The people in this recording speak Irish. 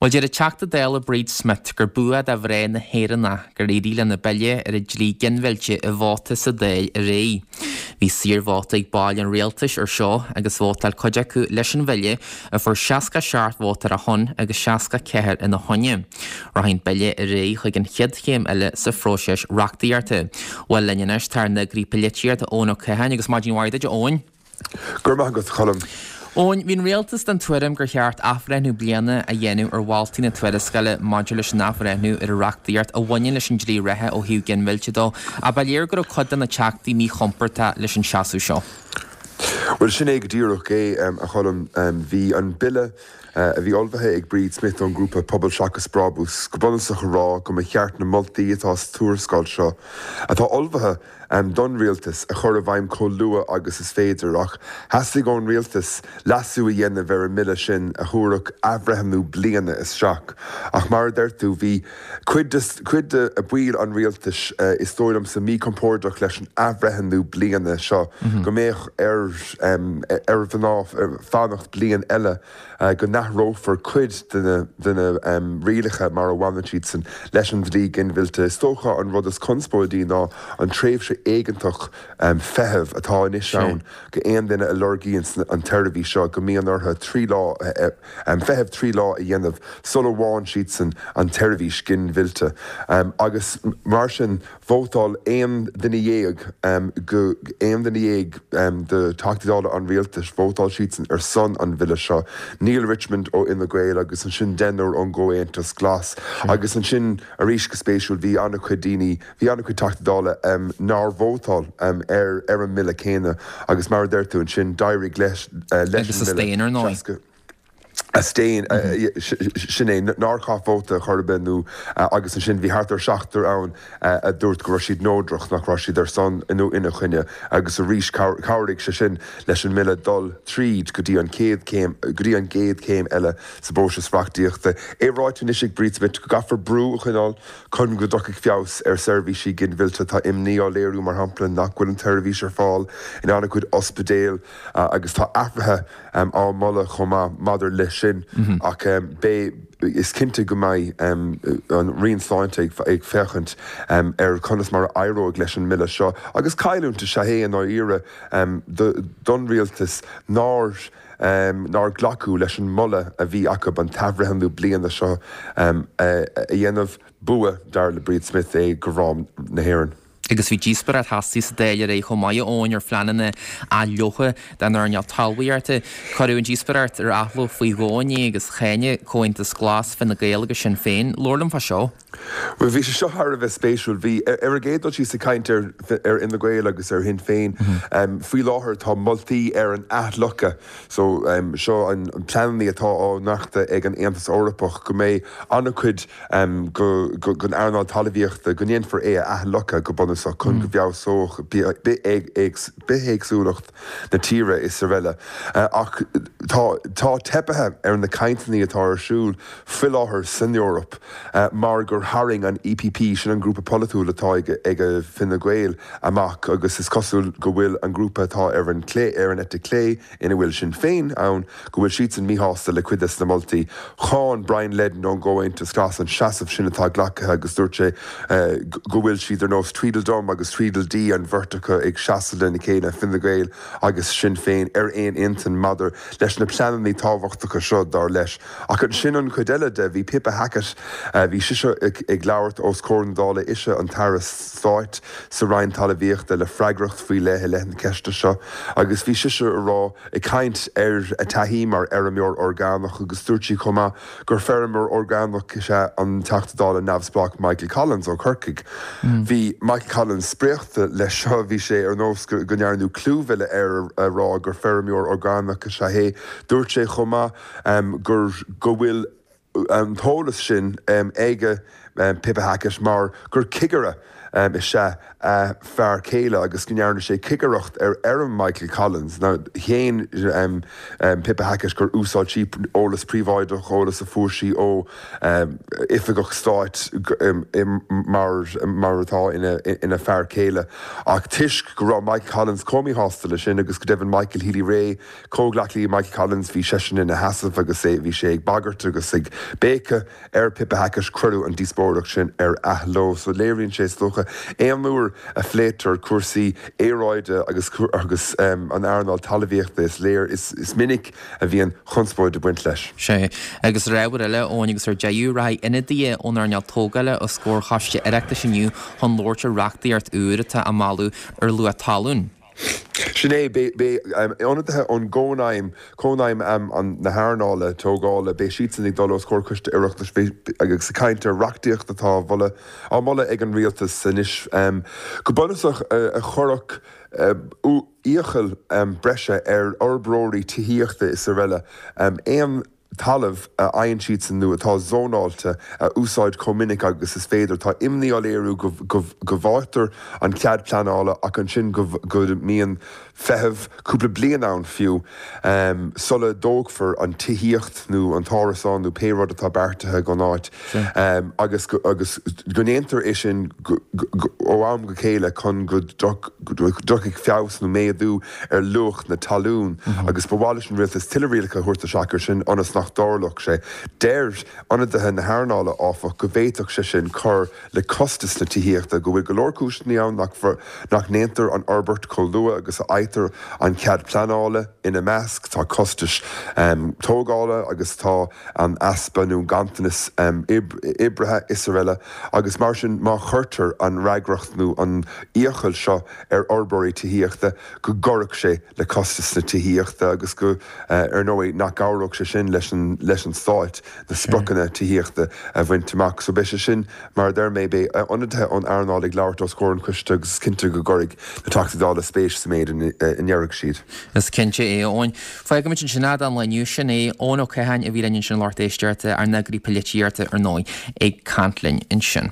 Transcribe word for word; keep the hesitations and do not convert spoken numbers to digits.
Bhuel, deir an Teachta Dála Bríd Smith gur bua do mhná na hÉireann gur éirigh lena bille ar an dlí ginmhillte i vóta sa Dáil aréir. Bhí saorvóta ag baill an rialtais ar seo agus vótáil cuid acu leis an bhille a fuair seasca seacht vóta ar a shon agus seasca ceathair ina choinne. Rachaidh an bille ar aghaidh chuig an chéad chéim eile sa phróiseas reachtaíochta. Bhuel, linn anois tá ár n-eagraí polaitíochta Eoin Ó Catháin agus maidin mhaith duit, Eoin. Go raibh maith agat, Colm. Eoin, bhí an rialtas den tuairim gur cheart athbhreithniú bliana a dhéanamh ar mholtaí na tuarascála maidir leis an athbhreithniú ar an reachtaíocht a bhaineann leis an dlí reatha ó thaobh ginmhillte de, ach ba léir go raibh cuid de na teachtaí míchompordach leis an seasamh seo. Bhuel, sin é go díreach é, a Cholm. Bhí an bille a bhí ullmhaithe ag Bríd Smith ón ngrúpa Pobal Seachas Brabús go bunúsach a rá go mba cheart na moltaí atá sa tuarascáil seo, atá ullmhaithe don rialtas, a chur i bhfeidhm chomh luath agus is féidir. Ach theastaigh ón rialtas leasú a dhéanamh ar an mbille sin a thabharfadh athbhreithniú bliana isteach. Ach mar a deir tú, bhí cuid de cuid de bhaill an rialtais, is dóigh liomsa, míchompordach leis an athbhreithniú bliana seo, go mbeadh ar ar mhná fanacht bliain eile go n-athrófar cuid de na de na rialacha mar a bhaineann siadsan leis an dlí ginmhillte. Is dócha an rud is conspóidí ná an tréimhse éigeantach feithimh atá anois ann go aon duine a lorgaíonn an tseirbhís seo go mbíonn orthu trí lá feitheamh trí lá a dhéanamh sula bhfaigheann siadsan an tseirbhís ginmhillte. Agus mar sin vótáil aon duine dhéag go aon duine dhéag de Theachtaí Dála an rialtais, vótáil siadsan ar son an bhille seo. Neale Richmond ó Fhine Gael agus ansin deichniúr ón gComhaontas Glas. Agus ansin arís, go spéisiúil, bhí an-chuid daoine, bhí an-chuid Teachtaí Dála nár vótáil ar ar an mbille céanna agus mar a deir tú ansin d'éirigh leis leis an mbille. Abstain, sin é, nár chaith vóta chor ar bith nó agus ansin bhí thart ar seachtar ann a dúirt go raibh siad neodrach, nach raibh siad ar son nó ina choinne agus arís chabhraigh sé sin leis an mbille dul tríd go dtí an chéad chéim, go dtí an gcéad chéim eile sa bpróiseas reachtaíochta. É ráite anois ag Bríd Smith go gcaithfear brú a choinneáil chun go dtiocfaidh feabhas ar seirbhísí ginmhillte. Tá imní á léiriú, mar shampla, nach bhfuil an tseirbhís ar fáil in an-chuid ospidéal agus tá athruithe á moladh chomh maith maidir leis sin ach beidh, is cinnte go mbeidh an Roinn Sláinte ag féachaint ar conas mar a éireoidh leis an mbille seo agus cailliúint is ea é i ndáiríre don rialtas nár nár glacadh leis an moladh a bhí acu an t-athbhreithniú bliana seo a dhéanamh. Bua, dar le Bríd Smith, é do mhná na hÉireann. Agus bhí díospóireacht theasaí sa Dáil aréir chomh maith, a Eoin, ar phleananna athlóctha don earnáil talmhaíochta. Cuireadh an díospóireacht ar athló faoi dhó inné agus cháin Comhaontas Glas, Fine Gael agus Sinn Féin. Labhair liom fá seo. Bhuel, bhí sé seo thar a bheith spéisiúil. Bhí, ar an gcéad dul síos, ag caint ar ar Fhine Gael agus ar Shinn Féin. Faoi láthair tá moltaí ar an athfhliuchadh. So, seo an pleananna atá á nochtadh ag an Aontas Eorpach go mbeidh an-chuid den earnáil talmhaíochta, go ndéanfar é a athfhliuchadh go bunúsach chun go bhfeabhsódh bithéagsúlacht na tíre is araile. Ach tá tá teipithe ar na cainteanna atá ar siúl faoi láthair san Eoraip mar gur tharraing an E P P, sin an grúpa polaitiúil atá ag Fine Gael, amach agus is cosúil go bhfuil an grúpa atá ar an clé, ar an eite chlé, ina bhfuil Sinn Féin ann, go bhfuil siadsan míshásta le cuid des na moltaí. Cháin Brian Leddin ón gComhaontas Glas an seasamh sin atá glactha agus dúirt sé go bhfuil siad ar nós Tweedledum agus Tweedledee, an bheirt acu ag seasamh lena chéile, Fine Gael agus Sinn Féin, ar aon intinn maidir leis na pleananna tábhachtacha seo, dar leis. Ach ansin an chuid eile de, bhí Pippa Hackett, bhí sise ag labhairt os comhair na Dála, ise an tAire Stáit sa Roinn Talmhaíochta le freagracht faoi leith i leith na ceiste seo agus bhí sise a rá, ag caint ar a taithí mar fheirmeoir orgánach agus dúirt sí chomh maith gur feirmeoir orgánach is ea an Teachta Dála neamhspleách Michael Collins ó Chorcaigh. Bhí Michael Collins spréachta leis seo, bhí sé ar nós go ndearnadh clúmhilleadh air a rá gur feirmeoir orgánach is ea é. Dúirt sé chomh maith gur go bhfuil an t-eolas sin aige Pippa Hackett mar gur cigire is ea a fear céile agus go ndearna sé cigireacht ar fheirm Michael Collins. Now shéan um, um, Pippa Hackett gur úsáid sí eolas príobháideach eolas a fuair sí ó um, oifigeach stáit um, mar, mar atá ina, ina fear céile. Ach toisc go raibh Michael Collins chomh míshásta leis sin agus go deimhin Michael Healy-Rae comhghleacaí Michael Collins bhí seisean ina sheasamh agus é bhí sé ag bagairt agus ag béiceadh ar Pippa Hackett cuireadh an díospóireacht sin ar athló, so léiríonn sé is dócha aon uair a phléitear cúrsaí aeráide agus agus um, an earnáil talmhaíochta is léir is, is minic a bhíonn conspóid ag baint leis. Sé agus ábhar eile Eoin agus ar deireadh rachaidh ionadaithe ón earnáil tógála os comhair choiste Oireachtais inniu chun labhairt ar reachtaíocht úr atá á moladh ar luach talún. Sin é ionadaithe ón gCónaidhm Cónaidhm um, na hearnála tógála beidh siadsan ag dul os comhair coiste Oireachtais agus ag caint ar reachtaíocht atá mholta á moladh ag an rialtas anois um, go bunúsach a chuirfeadh uh, iachall um, breise ar fhorbróirí tithíochta is araile um, aon talamh a fhaigheann siadsan nó atá zónáilte a úsáid chomh minic agus is féidir tá imní á léiriú go bhfaightear an cead pleanála ach ansin go mbíonn feitheamh cúpla bliain ann fiú um, sula dtógfar an tithíocht nó an t-árasán nó pé rud atá beartaithe don áit um, agus agus go ndéantar é sin ó am go chéile chun go dtiocfaidh feabhas nó méadú ar luach na talún mm -hmm. agus ba mhaith leis an rialtas tuilleadh rialacha a thabhairt isteach air sin ionas nach dtarlódh sé. Deir ionadaithe na hearnála áfach go bhféadfadh sé sin cur le costas na tithíochta go bhfuil go leor cúiseanna ann nach nach ndéantar an fhorbairt chomh luath agus a fhaightear an cead pleanála ina measc tá costais um, tógála agus tá an easpa nó ganntanas um, oibrithe is araile agus mar sin má chuirtear an fhreagracht nó an iachall seo ar fhorbróirí tithíochta go gcuirfeadh sé le costas na tithíochta agus go uh, ar ndóigh nach gcabhródh sé sin leis an leis an stát na spriocanna tithíochta a bhaint amach so beidh sé sin mar deir mé beidh ionadaithe ón earnáil ag labhairt os comhair an choiste agus cinnte go gcuirfidh na Teachtaí Dála spéis sa méid a ndéarfaidh siad. Is cinnte é Eoin. Fágfaimid ansin é don lá inniu sin é Eoin Ó Catháin a bhí linn ansin lucht éisteachta ár n-eagraí polaitíochta ar ndóigh ag caint linn ansin.